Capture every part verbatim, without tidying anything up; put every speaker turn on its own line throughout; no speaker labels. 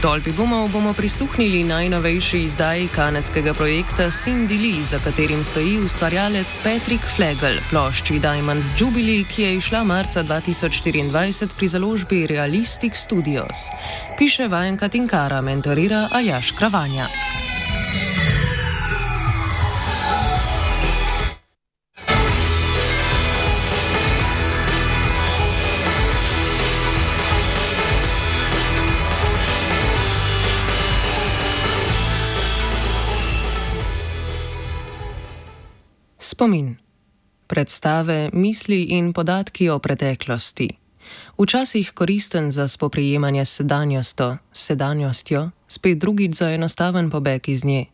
tolpi bumov bomo prisluhnili najnovejši izdaji kanadskega projekta Cindy Lee, za katerim stoji ustvarjalec Patrick Flegel, plošči Diamond Jubilee, ki je izšla marca dva tisoč štiriindvajset pri založbi Realistic Studios. Piše Vajenka Tinkara, mentorira Aljaž Kravanja. Spomin. Predstave, misli in podatki o preteklosti. Včasih koristen za spoprijemanje s sedanjostjo, sedanjostjo, spet drugič za enostaven pobeg iz nje.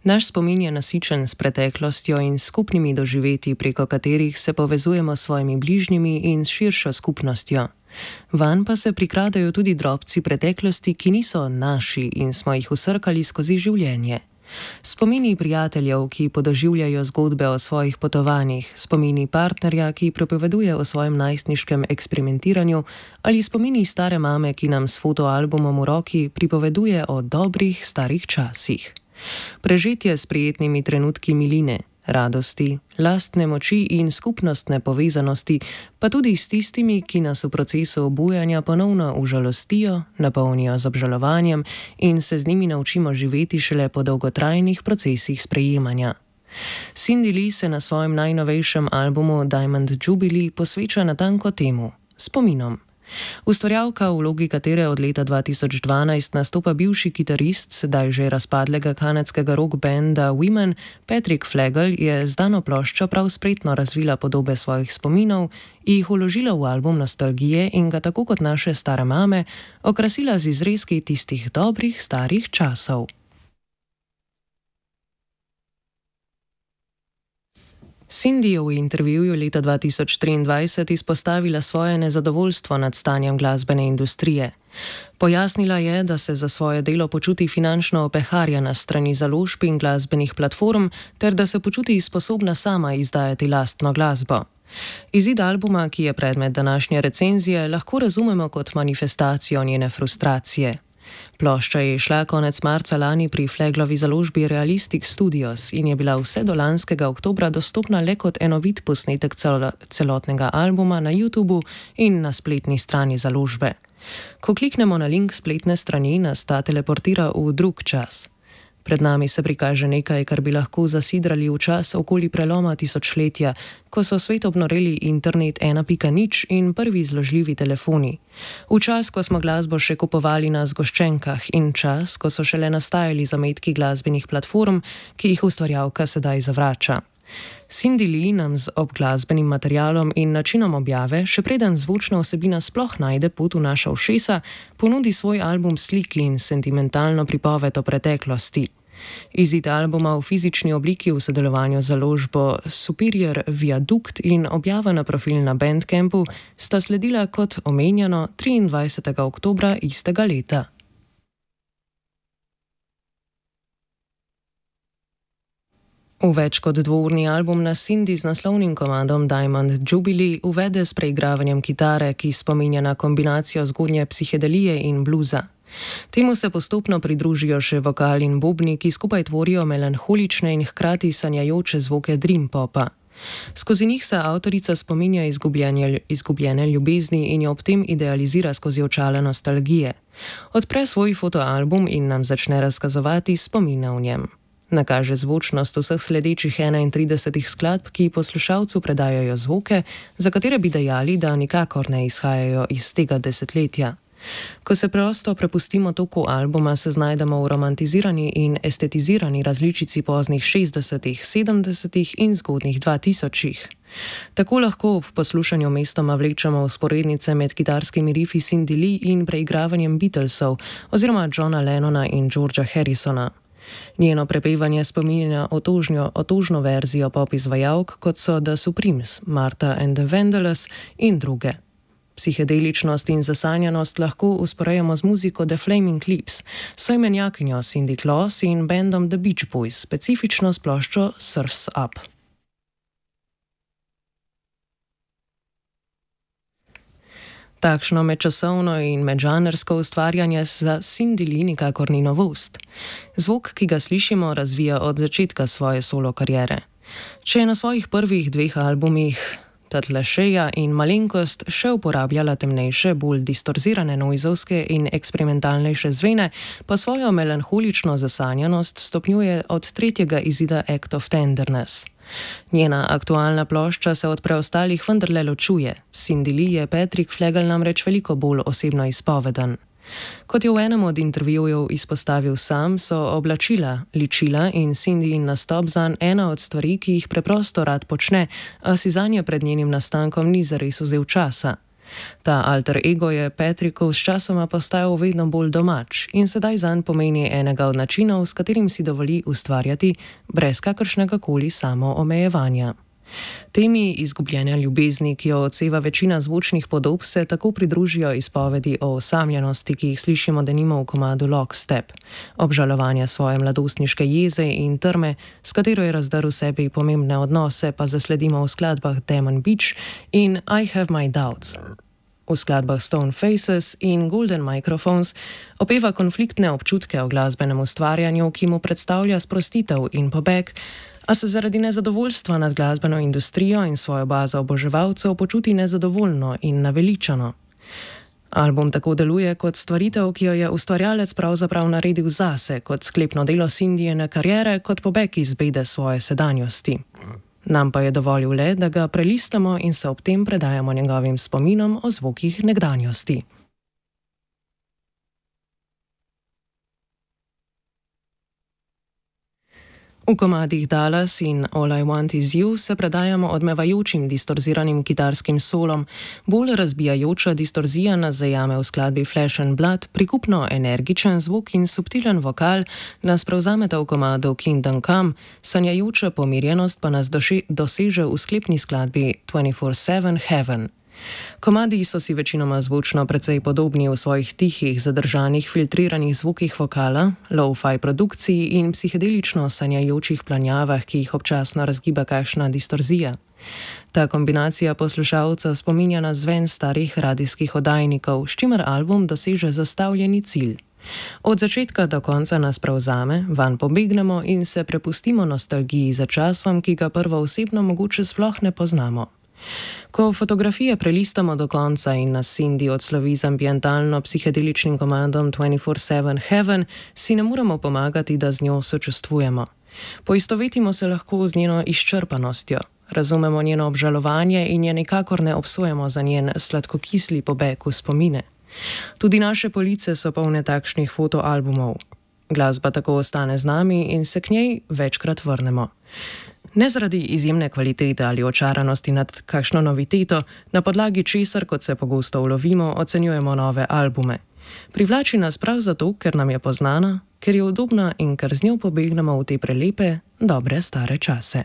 Naš spomin je nasičen s preteklostjo in skupnimi doživetji, preko katerih se povezujemo s svojimi bližnjimi in s širšo skupnostjo. Vanj pa se prikradajo tudi drobci preteklosti, ki niso naši in smo jih vsrkali skozi življenje. Spomini prijateljev, ki podoživljajo zgodbe o svojih potovanjih, spomini partnerja, ki pripoveduje o svojem najstniškem eksperimentiranju, ali spomini stare mame, ki nam s fotoalbumom v roki pripoveduje o dobrih starih časih. Prežetje s prijetnimi trenutki miline, radosti, lastne moči in skupnostne povezanosti, pa tudi s tistimi, ki nas v procesu obujanja ponovno užalostijo, napolnijo z obžalovanjem in se z njimi naučimo živeti šele po dolgotrajnih procesih sprejemanja. Cindy Lee se na svojem najnovejšem albumu Diamond Jubilee posveča natanko temu, spominom. Ustvarjalka, v vlogi katere od leta dva tisoč dvanajst nastopa bivši kitarist sedaj že razpadlega kanadskega rock banda Women, Patrick Flegel, je z dano ploščo prav spretno razvila podobe svojih spominov, jih vložila v album nostalgije in ga tako kot naše stare mame okrasila z izrezki tistih dobrih starih časov. Cindy je v intervjuju leta dva tisoč triindvajset izpostavila svoje nezadovoljstvo nad stanjem glasbene industrije. Pojasnila je, da se za svoje delo počuti finančno opeharjena s strani založb in glasbenih platform, ter da se počuti sposobna sama izdajati lastno glasbo. Izid albuma, ki je predmet današnje recenzije, lahko razumemo kot manifestacijo njene frustracije. Plošča je šla konec marca lani pri Fleglovi založbi Realistic Studios in je bila vse do lanskega oktobra dostopna le kot enovit posnetek celo, celotnega albuma na YouTubu in na spletni strani založbe. Ko kliknemo na link spletne strani, nas ta teleportira v drug čas. Pred nami se prikaže nekaj, kar bi lahko zasidrali v čas okoli preloma tisočletja, ko so svet obnoreli internet ena pika nič in prvi zložljivi telefoni. V čas, ko smo glasbo še kupovali na zgoščenkah in čas, ko so šele nastajali zametki glasbenih platform, ki jih ustvarjalka sedaj zavrača. Cindy Lee nam z obglasbenim materialom in načinom objave, še preden zvočna vsebina sploh najde pot v naša ušesa, ponudi svoj album sliki in sentimentalno pripoved o preteklosti. Izid albuma v fizični obliki v sodelovanju z založbo Superior Viaduct in objava na profil na Bandcampu sta sledila kot omenjeno triindvajsetega oktobra istega leta. V več kot dvourni album nas Cindy z naslovnim komadom Diamond Jubilee uvede s preigravanjem kitare, ki spominja na kombinacijo zgodnje psihedelije in bluza. Temu se postopno pridružijo še vokal in bobni, ki skupaj tvorijo melanholične in hkrati sanjajoče zvoke dream popa. Skozi njih se avtorica spominja izgubljene ljubezni in jo ob tem idealizira skozi očala nostalgije. Odpre svoj fotoalbum in nam začne razkazovati spomine v njem. Nakaže zvočnost vseh sledečih enaintridesetih skladb, ki poslušalcu predajajo zvoke, za katere bi dejali, da nikakor ne izhajajo iz tega desetletja. Ko se prosto prepustimo toku albuma, se znajdemo v romantizirani in estetizirani različici poznih šestdesetih, sedemdesetih in zgodnjih dvatisočih. Tako lahko ob poslušanju mestoma vlečemo vzporednice med kitarskimi rifi Cindy Lee in preigravanjem Beatlesov oziroma Johna Lennona in Georgea Harrisona. Njeno prepevanje spominja na otožnjo, otožno verzijo pop izvajalk, kot so The Supremes, Martha and the Vandellas in druge. Psihedeličnost in zasanjanost lahko usporejamo z muziko The Flaming Lips, soimenjakinjo Cindy Claus in bandom The Beach Boys, specifično s ploščo Surf's Up. Takšno medčasovno in medžanrsko ustvarjanje za Cindy Lee nikakor ni novost. Zvok, ki ga slišimo, razvija od začetka svoje solo kariere. Če je na svojih prvih dveh albumih Tatlešeja in Malenkost še uporabljala temnejše, bolj distorzirane noizovske in eksperimentalnejše zvene, pa svojo melanholično zasanjanost stopnjuje od tretjega izida Act of Tenderness. Njena aktualna plošča se od preostalih vendarle ločuje. Cindy Lee je Patrick Flegel namreč veliko bolj osebno izpoveden. Kot je v enem od intervjujev izpostavil sam, so oblačila, ličila in Cindyin nastop zanj ena od stvari, ki jih preprosto rad počne, a si zanje pred njenim nastankom ni zares vzel časa. Ta alter ego je Patricku s časoma postajal vedno bolj domač in sedaj zanj pomeni enega od načinov, s katerim si dovoli ustvarjati brez kakršnega koli samoomejevanja. Temi izgubljanja ljubezni, ki jo odseva večina zvočnih podob, se tako pridružijo izpovedi o osamljenosti, ki jih slišimo denimo v komadu Lockstep, obžalovanja svoje mladostniške jeze in trme, s katero je razdrl sebi pomembne odnose, pa zasledimo v skladbah Demon Beach in I Have My Doubts. V skladbah Stone Faces in Golden Microphones opeva konfliktne občutke o glasbenem ustvarjanju, ki mu predstavlja sprostitev in pobeg, a se zaradi nezadovoljstva nad glasbeno industrijo in svojo bazo oboževalcev počuti nezadovoljno in naveličano. Album tako deluje kot stvaritev, ki jo je ustvarjalec pravzaprav naredil zase, kot sklepno delo Cindyjine kariere, kot pobeg iz bede svoje sedanjosti. Nam pa je dovolil le, da ga prelistamo in se ob tem predajamo njegovim spominom o zvokih nekdanjosti. V komadih Dallas in All I Want Is You se predajamo odmevajočim distorziranim kitarskim solom, bolj razbijajoča distorzija nas zajame v skladbi Flesh and Blood, prikupno energičen zvok in subtilen vokal nas prevzameta v komadu Kingdom Come, sanjajoča pomirjenost pa nas doše, doseže v sklepni skladbi twenty-four seven Heaven. Komadi so si večinoma zvočno precej podobni v svojih tihih, zadržanih, filtriranih zvokih vokala, lo-fi produkciji in psihedelično sanjajočih planjavah, ki jih občasno razgiba kakšna distorzija. Ta kombinacija poslušalca spominja na zven starih radijskih oddajnikov, s čimer album doseže zastavljeni cilj. Od začetka do konca nas prevzame, vanj pobegnemo in se prepustimo nostalgiji za časom, ki ga prvoosebno mogoče sploh ne poznamo. Ko fotografije prelistamo do konca in nas Cindy odslovi z ambientalno-psihedeličnim komandom twenty-four seven Heaven, si ne moremo pomagati, da z njo sočustvujemo. Poistovetimo se lahko z njeno izčrpanostjo, razumemo njeno obžalovanje in je nikakor ne obsojamo za njen sladkokisli pobeg v spomine. Tudi naše police so polne takšnih fotoalbumov. Glasba tako ostane z nami in se k njej večkrat vrnemo. Ne zaradi izjemne kvalitete ali očaranosti nad kakšno noviteto, na podlagi česar, kot se pogosto ulovimo, ocenjujemo nove albume. Privlači nas prav zato, ker nam je poznana, ker je udobna in ker z njo pobegnemo v te prelepe, dobre stare čase.